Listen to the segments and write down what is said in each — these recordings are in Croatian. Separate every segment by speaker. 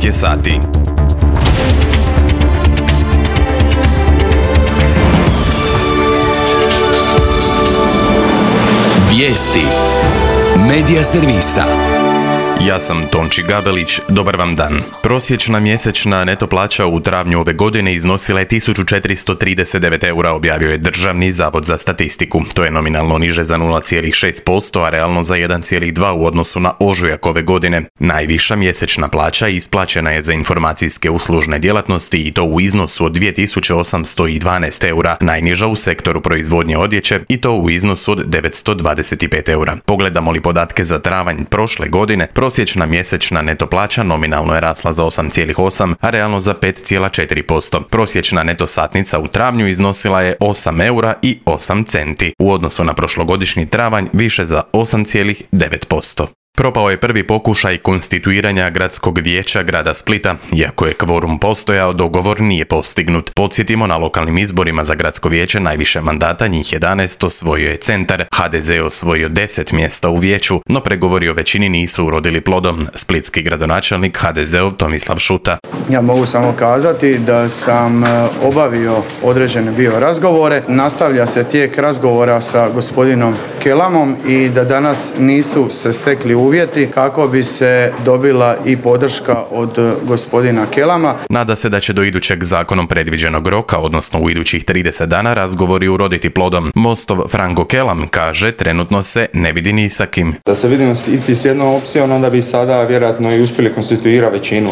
Speaker 1: je sati.
Speaker 2: Vijesti Medija servisa.
Speaker 1: Ja sam Tonči Gabelić, dobar vam dan. Prosječna mjesečna neto plaća u travnju ove godine iznosila je 1439 eura, objavio je Državni zavod za statistiku. To je nominalno niže za 0,6%, a realno za 1,2% u odnosu na ožujak ove godine. Najviša mjesečna plaća isplaćena je za informacijske uslužne djelatnosti i to u iznosu od 2812 eura, najniža u sektoru proizvodnje odjeće i to u iznosu od 925 eura. Pogledamo li podatke za travanj prošle godine, prosječna mjesečna neto plaća nominalno je rasla za 8,8, a realno za 5,4%. Prosječna neto satnica u travnju iznosila je 8 eura i 8 centi, u odnosu na prošlogodišnji travanj više za 8,9%. Propao je prvi pokušaj konstituiranja gradskog vijeća grada Splita. Iako je kvorum postojao, dogovor nije postignut. Podsjetimo, na lokalnim izborima za gradsko vijeće najviše mandata, njih 11, osvojio je Centar. HDZ je osvojio 10 mjesta u vijeću, no pregovori o većini nisu urodili plodom. Splitski gradonačelnik HDZ-ov Tomislav Šuta.
Speaker 3: Ja mogu samo kazati da sam obavio određene bio razgovore. Nastavlja se tijek razgovora sa gospodinom Kelamom i da danas nisu se stekli uvjeti kako bi se dobila i podrška od gospodina Kelama.
Speaker 1: Nada se da će do idućeg zakonom predviđenog roka, odnosno u idućih 30 dana, razgovori uroditi plodom. Mostov Franko Kelam kaže, trenutno se ne vidi ni sa kim.
Speaker 4: Da se vidimo i s jednom opcijom, onda bi sada vjerojatno i uspjeli konstituirati većinu.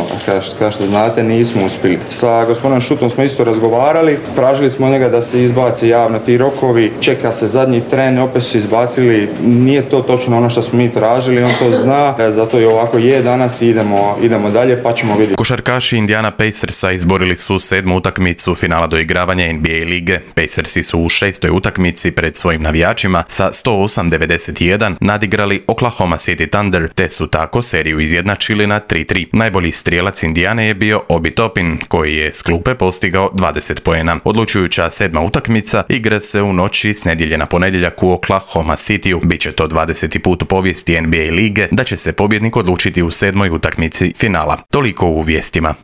Speaker 4: Kao što znate, nismo uspjeli. Sa gospodinom Šutom smo isto razgovarali, tražili smo njega da se izbaci javno ti rokovi, čeka se zadnji tren, opet su se izbacili. Nije to točno ono što smo mi tražili, on to zna, zato i ovako je danas i idemo dalje, pa ćemo vidjeti.
Speaker 1: Košarkaši Indiana Pacersa izborili su 7. utakmicu finala doigravanja NBA lige. Pacersi su u 6. utakmici pred svojim navijačima sa 108-91 nadigrali Oklahoma City Thunder, te su tako seriju izjednačili na 3-3. Najbolji strijelac Indijane je bio Obi Toppin, koji je s klupe postigao 20 poena. Odlučujuća 7. utakmica igra se u noći s nedjelje na ponedjeljak u Oklahoma Cityu. Biće to 20. put u povijesti NBA lige da će se pobjednik odlučiti u 7. utakmici finala. Toliko u vijestima.